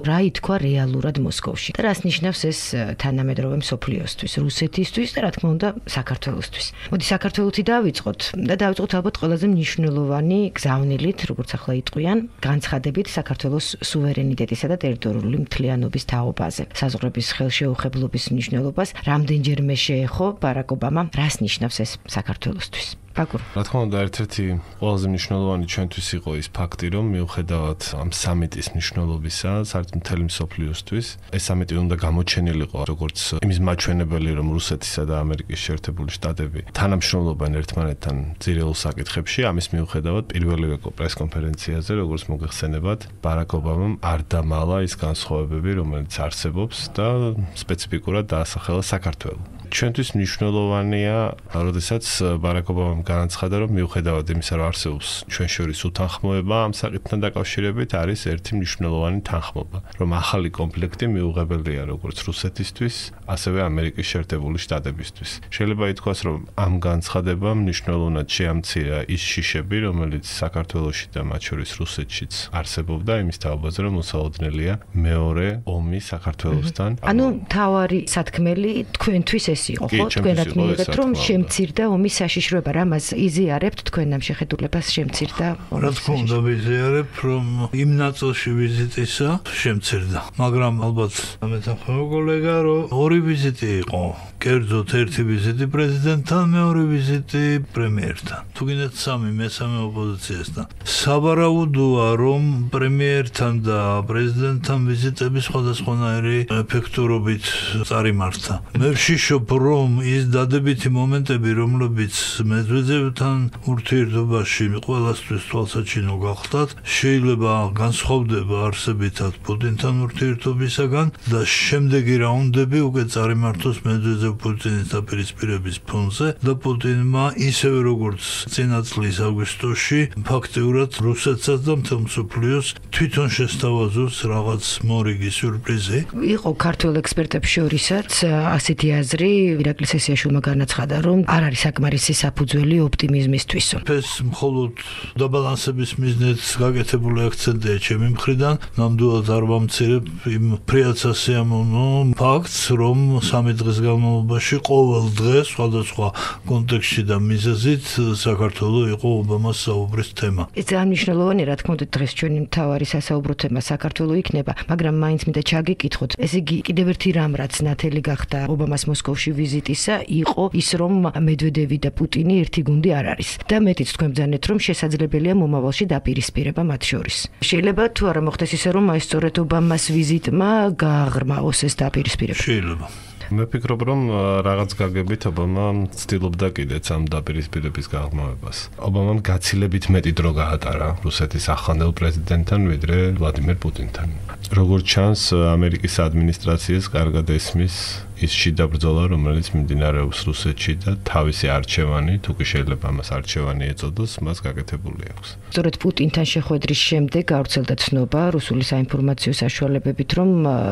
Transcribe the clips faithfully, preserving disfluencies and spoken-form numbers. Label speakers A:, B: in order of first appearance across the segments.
A: რა ითქვა რეალურად მოსკოვში და რას ნიშნავს ეს თანამედროვე მსოფლიოსთვის, რუსეთისთვის და რა თქმა უნდა საქართველოსთვის. მოდი საქართველოთი დავიწყოთ და დავიწყოთ ალბათ ყველაზე მნიშვნელოვანი გზავნილით, როგორც ახლა იტყვიან, განცხადებით საქართველოს სუვერენიტეტისა და ტერიტორიული მთლიანობის თაობაზე. საზღვრების ხელშეუხებლობის მნიშვნელობას რამდენჯერმე შეეხო ბარაკ ობამამ, რას ნიშნავს ეს საქართველოსთვის? Pagur.
B: რა თქმა უნდა, ერთ-ერთი ყველაზე მნიშვნელოვანი ჩვენთვის იყო ის ფაქტი, რომ მიუხედავად ამ სამიტის მნიშვნელობისა, საერთოდ მთელი მსოფლიოსთვის, ეს სამიტი უნდა გამოჩენილიყო როგორც იმის მაჩვენებელი, რომ რუსეთისა და ამერიკის შეერთებული შტატები თანამშრომლობენ ერთმანეთთან ძირეულ საკითხებში. ამის მიუხედავად, პირველივე პრესკონფერენციაზე, როგორც მოგეხსენებათ, ბარაკ ობამამ არ დამალა ის განსხვავებები, რომელიც არსებობს და სპეციფიკურად დაასახელა საქართველო. ჩვენთვის მნიშვნელოვანია, როდესაც ბარაკ ობამამ განაცხადა, რომ მიუხედავად იმისა, რომ არსებობს ჩვენ შორის უთანხმოება ამ საკითხთან დაკავშირებით, არის ერთი მნიშვნელოვანი თანხმობა, რომ ახალი კონფლიქტი მიუღებელია როგორც რუსეთისთვის, ასევე ამერიკის შეერთებული შტატებისთვის. შეიძლება ითქვას, რომ ამ განცხადებამ მნიშვნელოვნად შეამცირა ის შიშები, რომელიც საქართველოში და მათ შორის რუსეთშიც არსებობდა, იმის თაობაზე, რომ მოსალოდნელია მეორე ომი საქართველოსთან.
A: ანუ თავარი სათქმელი თქვენთვის ეს იყო, ხო? თქვენად მიიღეთ, რომ შემცირდა ომის საშიშროება, რამაც იზიარებთ თქვენ ამ შეხედულებას შემცირდა.
C: რა თქმა უნდა, ვიზიარებ, რომ იმ ნაწილში ვიზიტისა შემცირდა. მაგრამ ალბათ ამეთანხმება კოლეგა, რომ ორი ვიზიტი იყო. კერძოდ ერთი ვიზიტი პრეზიდენტთან, მეორე ვიზიტი პრემიერთან. თუ გინდათ სამი, მესამე ოპოზიციასთან. სავარაუდოა, რომ პრემიერთან და პრეზიდენტთან ვიზიტები სხვადასხვანაირი ეფექტურობით წარიმართა. მე ვშიშობ, რომ ის დადებითი მომენტები, რომლებიც მედვედევთან ურთიერთობაში ყველასთვის თვალსაჩინო გახდათ, შეიძლება განსხვავდება არსებითად პუტინთან ურთიერთობისაგან და შემდეგი რაუნდები უკვე წარიმართოს მედვედევ-პუტინის დაპირისპირების ფონზე და პუტინმა ისევე როგორც წინა წლის აგვისტოში ფაქტიურად რუსეთსაც და მთელ მსოფლიოს თვითონ შესთავაზოს რაღაც მორიგი სიურპრიზი.
A: იყო ქართველ ექსპერტებს შორისაც ასეთი აზრი, ირაკლი სესიაშვილმა განაცხადა, რომ არ არის საკმარისი საფუძველი ოპტიმიზმისთვის.
C: ეს მხოლოდ დაბალანსების მიზნით გაკეთებული აქცენტია ჩემი მხრიდან, ნამდვილად არ ვამცირებ იმ ფრიად სასიამოვნო ფაქტს, რომ სამი დღის განმავლობაში ყოველ დღე სხვადასხვა კონტექსტში და მიზეზით საქართველო იყო ობამას საუბრის თემა.
A: ეს ძალიან მნიშვნელოვანი, რა თქმა უნდა, დღეს ჩვენი მთავარი სასაუბრო თემა საქართველო იქნება, მაგრამ მაინც მინდა ჩაგიკითხოთ, ესე იგი კიდევ ერთი რამ, რაც ნათელი გახდა ობამას მოსკოვში ვიზიტისა, იყო ის, რომ მედვედევი და პუტინი ერთი გუნდი არ არის. და მეტიც თქვენ ბრძანეთ, რომ შესაძლებელია მომავალში დაპირისპირება მათ შორის. შეიძლება თუ არა მოხდეს ისე, რომ აი სწორედ ობამას ვიზიტმა გააღრმაოს ეს დაპირისპირება.
C: შეიძლება.
B: მე ვფიქრობ, რომ რაღაც გაგებით ობამა ცდილობდა კიდეც ამ დაპირისპირების გაღრმავებას. ობამამ გაცილებით მეტი დრო გაატარა რუსეთის ახლანდელ პრეზიდენტთან, ვიდრე ვლადიმერ პუტინთან. როგორც ჩანს, ამერიკის ადმინისტრაციას კარგად ესმის ის შიდა ბრძოლა, რომელიც მიმდინარეობს რუსეთში და თავისი არჩევანი, თუ კი შეიძლება მას არჩევანი ეწოდოს, მას გაკეთებული აქვს.
A: სწორედ პუტინთან შეხვედრის შემდეგ გავრცელდა ცნობა რუსული საინფორმაციო საშუალებებით, რომ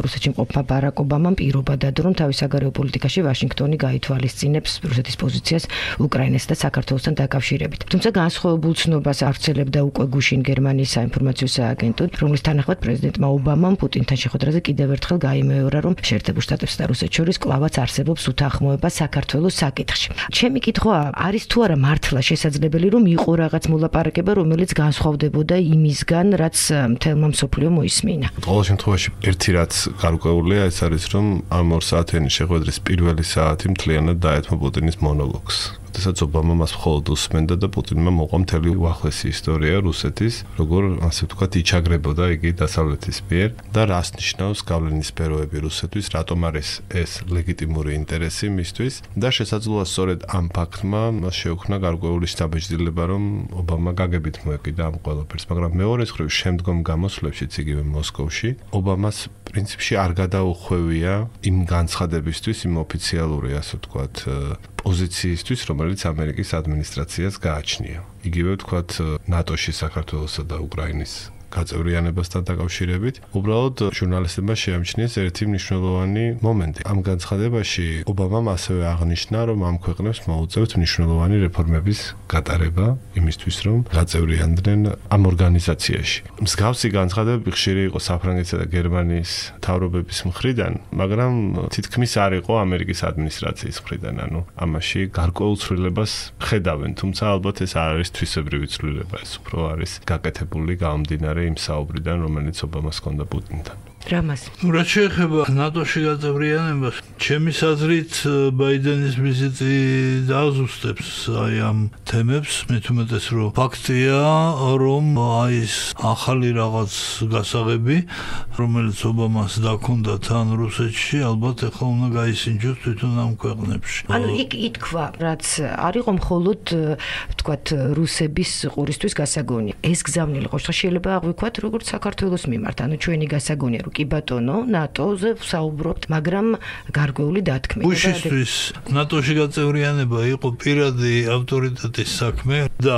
A: რუსეთში მყოფმა ბარაკ ობამამ პირობა დადო, რომ თავის საგარეო პოლიტიკაში ვაშინგტონი გაითვალისწინებს რუსეთის პოზიციას უკრაინასა და საქართველოსთან დაკავშირებით. თუმცა განსხვავებულ ცნობას ავრცელებდა უკვე გუშინ გერმანიის საინფორმაციო სააგენტო, რომლის თანახმად პრეზიდენტმა ობამამ პუტინთან შეხვედრაზე კიდევ ერთხელ გაიმეორა, რომ შეერთებულ შტატებსა და რუსეთს შორის კლავაც არსებობს უთანხმოება საქართველოს საკითხში. ჩემი კითხვა არის თუ არა მართლა შესაძლებელი, რომ იყო რაღაც მოლაპარაკება, რომელიც განსხვავდებოდა იმისგან, რაც მთელმა მსოფლიომ მოისმინა.
B: ყოველ შემთხვევაში ერთი რაც გარკვეულია, ეს არის, რომ ამ ორ საათიანი შეხვედრის პირველი საათი მთლიანად დაეთმო პუტინის მონოლოგს. როდესაც ობამა მას მხოლოდ უსმენდა და პუტინმა მოყვა მთელი უახლესი ისტორია რუსეთის, როგორ ასე ვთქვათ, იჩაგრებოდა იგი დასავლეთის მიერ და რას ნიშნავს გავლენის სფეროები რუსეთთვის, რატომ არის ეს ლეგიტიმური ინტერესი მისთვის და შესაძლოა სწორედ ამ ფაქტმა მას შეუქმნა გარკვეული შთაბეჭდილება, რომ ობამა გაგებით მოეკიდა ამ ყველაფერს, მაგრამ მეორე მხრივ შემდგომ გამოსვლებშიც იგივე მოსკოვში, ობამას პრინციპში არ გადაუხვევია იმ განცხადებისთვის, იმ ოფიციალური, ასე ვთქვათ, პოზიციისთვის, რომელიც ამერიკის ადმინისტრაციას გააჩნია. იგივე ვთქვათ, ნატოში საქართველოსა და უკრაინის გაწევრიანებასთან დაკავშირებით. უბრალოდ ჟურნალისტებმა შეამჩნიეს ერთი მნიშვნელოვანი მომენტი. ამ განცხადებაში ობამამ ასევე აღნიშნა, რომ ამ ქვეყნებს მოუწევთ მნიშვნელოვანი რეფორმების გატარება იმისთვის, რომ გაწევრიანდნენ ამ ორგანიზაციაში. მსგავსი განცხადებები ხშირი იყო საფრანგეთსა და გერმანიის მთავრობების მხრიდან, მაგრამ თითქმის არ იყო ამერიკის ადმინისტრაციის მხრიდან, ანუ ამაში გარკვეულ ცვლილებას ხედავენ, თუმცა ალბათ ეს არ არის თვისებრივი ცვლილება, ეს უფრო არის გაკეთებული გამომდინარე იმ საუბრიდან, რომელიც ობამას ჰქონდა პუტინთან.
A: რამას
C: რაც შეეხება ნატოში გაწევრიანებას, ჩემი აზრით ბაიდენის ვიზიტი დააზუსტებს აი ამ თემებს, მით უმეტეს რომ ფაქტია, რომ აი ეს ახალი რაღაც გასაღები, რომელიც ობამას დაქონდა თან რუსეთში, ალბათ ახლა უნდა გაისინჯოს თვითონ ამ ქვეყნებში.
A: ანუ იქ ითქვა, რაც არ იყო მხოლოდ ვთქვათ რუსების ყურისთვის გასაგონი. ეს გზავნილი ყოშა შეიძლება აღვიქვათ როგორც საქართველოს მიმართ, ანუ ჩვენი გასაგონია კი ბატონო, ნატოზე ვსაუბრობთ, მაგრამ გარკვეული დათქმით.
C: უშისთვის ნატოში გაწევრიანება იყო პირადი ავტორიტეტის საქმე და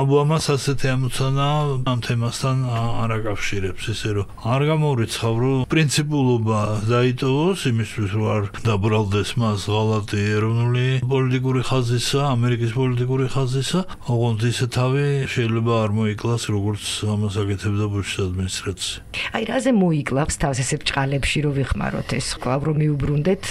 C: ობამას ასეთი ამოცანა ამ თემასთან არ აკავშირებს, ისე რომ არ გამოვრიცხავ, რომ პრინციპულობა დაიტოვოს იმისთვის, რომ არ დაბრალდეს მას ღალატი ეროვნული პოლიტიკური ხაზისა, ამერიკის პოლიტიკური ხაზისა, ოღონდ ისე თავი შეიძლება არ მოიკლას, როგორც ამას აკეთებდა ბუშის ადმინისტრაცია.
A: აი, რაზე მოიკლავს თავს ესე ბჭყალებში რომ ვიხმაროთ ეს კვლავ რომ მიუბრუნდეთ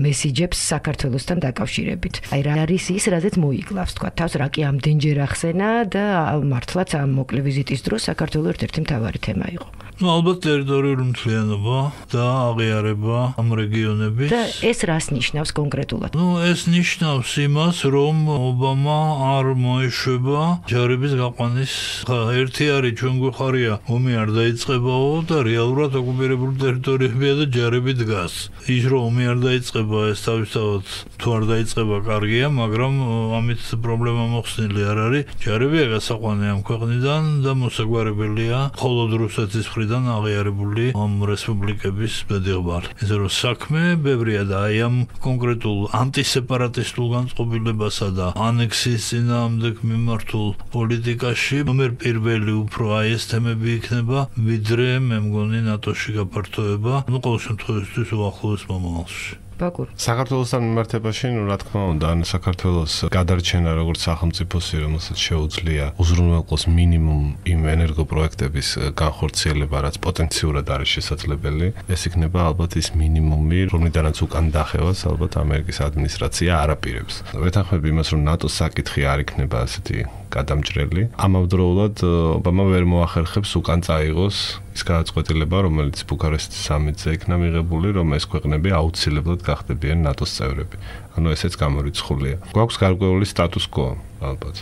A: მესიჯებს საქართველოსთან დაკავშირებით. აი რა არის ის, რაზეც მოიკლავს თქვა თავს, რა კი ამდენჯერ ახსენა და მართლაც ამ მოკლე ვიზიტის დროს საქართველოს ერთ-ერთი მთავარი თემა იყო.
C: Ну, ალბათ ტერიტორიული მთლიანობა და აღიარება ამ რეგიონების.
A: და ეს რას ნიშნავს კონკრეტულად?
C: Ну, ეს ნიშნავს იმას, რომ ობამა არ მოეშვება ჯარების გაყვანის. ერთი არის ჩვენ გვეხარია, ომი არ დაიწყებაო და რეალურად ოკუპირებული ტერიტორიებია და ჯარები დგას. ის რომ ომი არ დაიწყება, ეს თავისთავად თუ არ დაიწყება კარგია, მაგრამ ამით პრობლემა მოხსნილი არ არის. ჯარებია გასაყვანი ამ ქვეყნიდან და მოსაგვარებელია მხოლოდ რუსეთის მხრიდან აღიარებული ამ რესპუბლიკების ბედიღბალი. ესე რომ საქმე ბევრია და აი ამ კონკრეტულ ანტისეპარატისტულ განწყობილებასა და ანექსიის წინააღმდეგ მიმართულ პოლიტიკაში ნომერ პირველი უფრო აი ეს თემები იქნება, ვიდრე მე მგონი ნატოში გაფართოება, ну, ყოველ შემთხვევაში უახლოეს მომავალში.
A: ბაკურ.
B: საქართველოსთან მიმართებაში, ну, რა თქმა უნდა, ან საქართველოს გადარჩენა როგორც სახელმწიფოსი, რომელსაც შეუძლია უზრუნველყოს მინიმუმ იმ ენერგოპროექტების განხორციელება, რაც პოტენციურად არის შესაძლებელი, ეს იქნება ალბათ ის მინიმუმი, რომლიდანაც უკან დახევას ალბათ ამერიკის ადმინისტრაცია არ აპირებს. ვეთანხმები იმას, რომ ნატოს საკითხი არ იქნება ასეთი გადამჭრელი. ამავდროულად ობამა ვერ მოახერხებს უკან წაიღოს ის გადაწყვეტილება, რომელიც ბუქარესტის სამიტზე იქნა მიღებული, რომ ეს ქვეყნები აუცილებლად გახდებიან ნატოს წევრები. ანუ ესეც გამორიცხულია. გვაქვს გარკვეული სტატუს კო, ალბათ.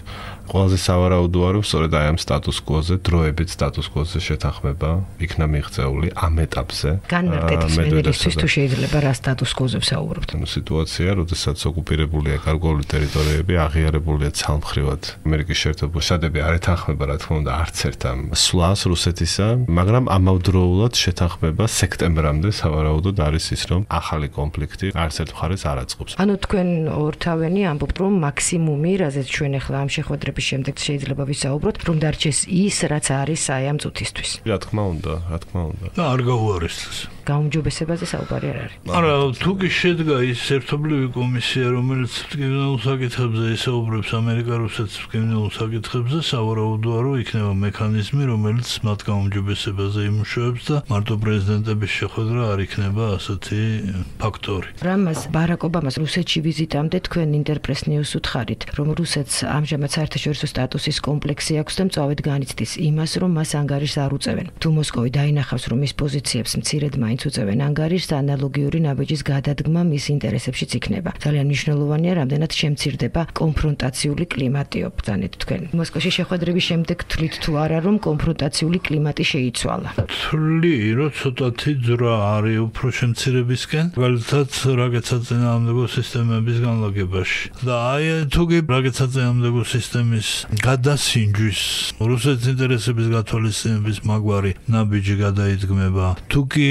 B: ყველაზე სავარაუდოა, რომ სწორედ აი ამ სტატუს კოზე, დროებით სტატუს კოზე შეთანხმება იქნა მიღწეული ამ ეტაპზე.
A: განმარტების მენერისთვის თუ შეიძლება რა სტატუს კოზე ვსაუბრობთ?
B: ანუ სიტუაცია, როდესაც ოკუპირებულია გარკვეული ტერიტორიები, აღიარებულია ცალმხრივად ამერიკის შეერთებული შტატები არ ეთანხმება, რა თქმა უნდა, არც ერთ ამ სვლას რუსეთისა, მაგრამ ამავდროულად შეთანხმება სექტემბრამდე სავარაუდოდ არის ის, რომ ახალი კონფლიქტი არც ერთ მხარეს არ აწყობს.
A: ანუ თქვენ ორთავენი ამბობთ, რომ მაქსიმუმი, რაზეც ჩვენ ახლა ამ შეხვედრების შემდეგ შეიძლება ვისაუბროთ, რომ დარჩეს ის, რაც არის აი ამ წუთისთვის.
B: რა თქმა უნდა, რა თქმა უნდა.
C: და არ გაუარესდეს.
A: გაუმჯობესებაზე საუბარი არ არის.
C: არა, თუ კი შედგა ის ერთობლივი კომისია, რომელიც ტკივნეულ საკითხებზე ისაუბრებს ამერიკა-რუსეთის ტკივნეულ საკითხებზე, სავარაუდოა, რომ იქნება მექანიზმი, რომელიც მათ გაუმჯობესებაზე იმუშავებს და მარტო პრეზიდენტების შეხვედრა არ იქნება ასეთი ფაქტორი.
A: რამაზ ბარაკ ობამას რუსეთში ვიზიტამდე თქვენ ინტერპრეს ნიუს უთხარით, რომ რუსეთს ამჟამად საერთაშორისო სტატუსის კომპლექსი აქვს და მწვავედ განიცდის იმას, რომ მას ანგარიშს არ უწევენ. თუ მოსკოვი დაინახავს, რომ ის პოზიციებს მცირედ მაინც უწევენ ანგარიშს, ანალოგიური ნაბიჯის გადადგმა მის ინტერესებშიც იქნება. ძალიან მნიშვნელოვანია, რამდენად შემცირდება კონფრონტაციული კლიმატი ობრძანეთ თქვენ. მოსკოვში შეხვედრების შემდეგ თვლით თუ არა, რომ კონფრონტაციული კლიმატი შეიცვალა?
C: თვლი, რომ ცოტათი ძრა არის უფრო შემცირებისკენ, მაგალითად რაკეტ საწინააღმდეგო სისტემების განლაგებაში. და აი თუ კი რაკეტ საწინააღმდეგო სისტემის გადასინჯვის, რუსეთის ინტერესების გათვალისწინების მაგვარი ნაბიჯი გადაიდგმება, თუ კი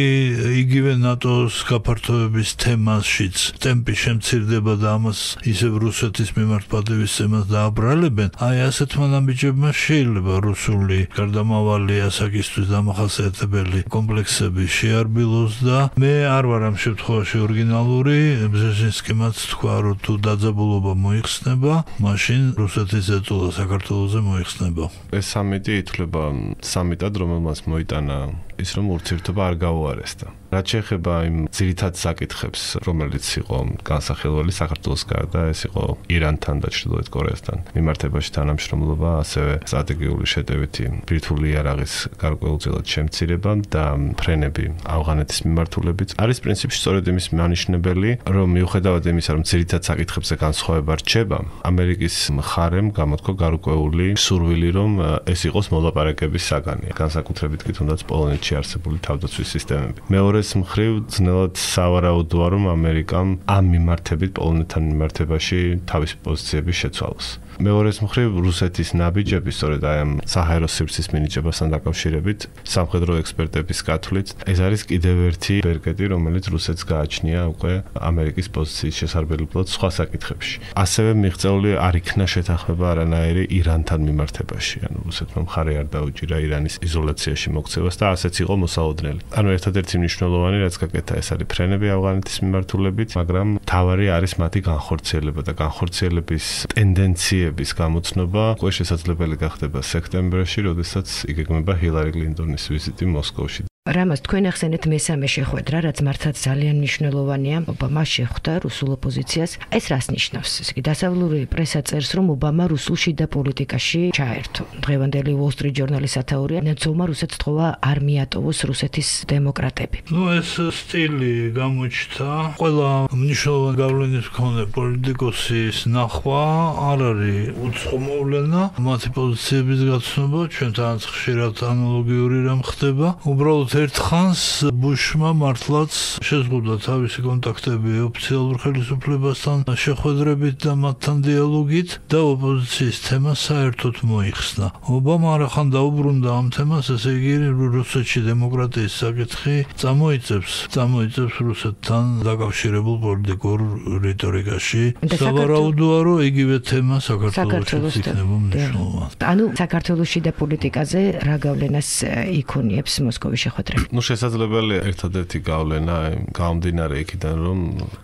C: იგივე ნატოს გაფართოების თემაშიც ტემპი შემცირდება და ამას ისევ რუსეთის მიმართ პატივისცემას დააბრალებენ, აი ასეთმა ნაბიჯებმა შეიძლება რუსული გარდამავალი ასაკისთვის დამახასიათებელი კომპლექსები შეარბილოს და მე არ ვარ ამ შემთხვევაში ორიგინალური, ბზეჟინსკიმაც თქვა, რომ თუ დაძაბულობა მოიხსნება, მაშინ რუსეთის ეწოლა საქართველოზე მოიხსნება.
B: ეს სამიტი ითვლება სამიტად, რომელმაც მოიტანა ის რომ ურთიერთობა არ გაუარესდა. რაც შეეხება იმ ძირითად საკითხებს, რომელიც იყო განსახილველი საქართველოს გარდა, ეს იყო ირანთან და ჩრდილოეთ კორეასთან მიმართებაში თანამშრომლობა, ასევე სტრატეგიული შეტევითი ბირთვული იარაღის გარკვეულწილად შემცირება და ფრენები ავღანეთის მიმართულებით. არის პრინციპში სწორედ იმის მანიშნებელი, რომ მიუხედავად იმისა, რომ ძირითად საკითხებზე განსხვავება რჩება, ამერიკის მხარემ გამოთქვა გარკვეული სურვილი, რომ ეს იყოს მოლაპარაკების საგანი, განსაკუთრებით კი თუნდაც პოლონეთში არსებული თავდაცვის სისტემები. მეორეს მხრივ ძნელად სავარაუდოა, რომ ამერიკამ ამ მიმართებით პოლონეთთან მიმართებაში თავისი პოზიციების შეცვალოს. მეორეს მხრივ რუსეთის ნაბიჯები სწორედ აი ამ საჰაერო სივრცის მინიჭებასთან დაკავშირებით სამხედრო ექსპერტების გათვლით ეს არის კიდევ ერთი ბერკეტი, რომელიც რუსეთს გააჩნია უკვე ამერიკის პოზიციის შესარბებლად სხვა საკითხებში. ასევე მიღწეული არ იქნა შეთანხმება არანაირი ირანთან მიმართებაში, ანუ რუსეთმა მხარე არ დაუჭირა ირანის იზოლაციაში მოქცევას და ასეც იყო მოსალოდნელი. ანუ ერთადერთი მნიშვნელოვანი რაც გაკეთა ეს არის ფრენები ავღანეთის მიმართულებით, მაგრამ თავარი არის მათი განხორციელება და განხორციელების ტენდენციები ის გამოცნობა უკვე შესაძლებელი გახდება სექტემბერში, როდესაც იგეგმება ჰილარი კლინტონის ვიზიტი მოსკოვში.
A: რამას თქვენ ახსენეთ მესამე შეხვედრა, რაც მართლაც ძალიან მნიშვნელოვანია. ობამა შეხვდა რუსულ ოპოზიციას. ეს რას ნიშნავს? ესე იგი, დასავლური პრესა წერს, რომ ობამა რუსულ შიდა პოლიტიკაში ჩაერთო. დღევანდელი Wall Street Journal-ის სათაურია, ნაცოლმა რუსეთს თხოვა არ მიატოვოს რუსეთის დემოკრატები.
C: ნუ ეს სტილი გამოჩნდა. ყველა მნიშვნელოვანი გავლენის მქონე პოლიტიკოსის ნახვა არ არის უცხო მოვლენა. მათი პოზიციების გაცნობა ჩვენთანაც ხშირად ანალოგიური რამ ხდება. უბრალოდ ერთხანს ბუშმა მართლაც შეზღუდვა თავისი კონტაქტები ოფიციალურ ხელისუფლებასთან შეხვედრებით და მათთან დიალოგით და ოპოზიციის თემა საერთოდ მოიხსნა. ობამა არახან დაუბრუნდა ამ თემას, ესე იგი რუსეთში დემოკრატიის საკითხი წამოიწევს, წამოიწევს რუსეთთან დაკავშირებულ პოლიტიკურ რიტორიკაში. სავარაუდოა, რომ იგივე თემა საქართველოშიც იქნება მნიშვნელოვანი.
A: ანუ საქართველოს შიდა პოლიტიკაზე რა გავლენას იქონიებს მოსკოვის შეხვედრა?
B: ნუ შესაძლებელია ერთადერთი გავლენა გამომდინარე იქიდან, რომ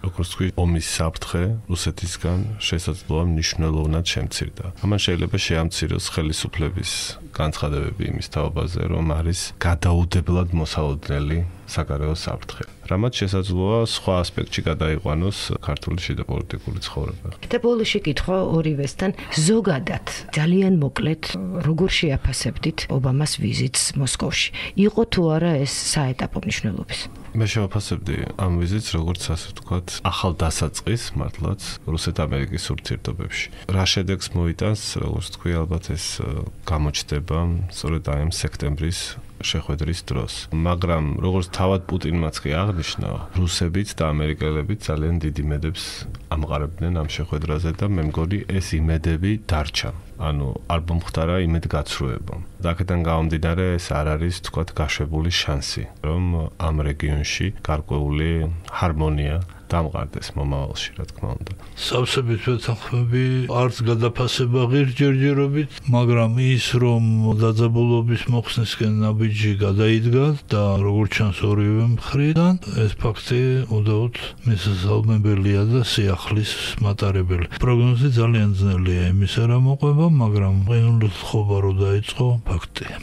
B: როგორც თქვი, ომის საფრთხე რუსეთისგან შესაძლოა მნიშვნელოვნად შემცირდა. ამან შეიძლება შეამციროს ხელისუფლების განცხადებები იმის თაობაზე, რომ არის გადაუდებლად მოსალოდნელი საგარეო საფრთხე. რამაც შესაძლოა სხვა ასპექტში გადაიყვანოს ქართული შიდა პოლიტიკური ცხოვრება.
A: და ბოლოში კითხვა ორივესთან ზოგადად ძალიან მოკლედ როგორ შეაფასებდით ობამას ვიზიტს მოსკოვში? იყო თუ არა ეს საეტაპო მნიშვნელობის?
B: მე შევაფასებდი ამ ვიზიტს როგორც ასე ვთქვათ, ახალ დასაწყისს მართლაც რუსეთ-ამერიკის ურთიერთობებში. რა შედეგს მოიტანს, როგორც თქვი, ალბათ ეს გამოჩნდება სწორედ აი ამ სექტემბრის შეხვედრის დროს. მაგრამ როგორც თავად პუტინმაც კი აღნიშნა, რუსებიც და ამერიკელებით ძალიან დიდ იმედებს ამყარებდნენ ამ შეხვედრაზე და მე მგონი ეს იმედები დარჩა. ანუ არ მომხდარა იმედგაცრუება. და აქედან გამომდინარე ეს არ არის თქვათ გაშვებული შანსი, რომ ამ რეგიონში გარკვეული ჰარმონია დამყარდეს მომავალში, რა თქმა უნდა.
C: სავსებით ვეთანხმები, არც გადაფასება ღირს ჯერჯერობით, მაგრამ ის რომ დაძაბულობის მოხსნისკენ ნაბიჯი გადაიდგა და როგორც ჩანს ორივე მხრიდან, ეს ფაქტი უდაოდ მისასალმებელია და სიახლის მატარებელი. პროგნოზი ძალიან ძნელია იმისა, რა მოყვება, მაგრამ ყინულით ხობა რო დაიწყო, ფაქტია.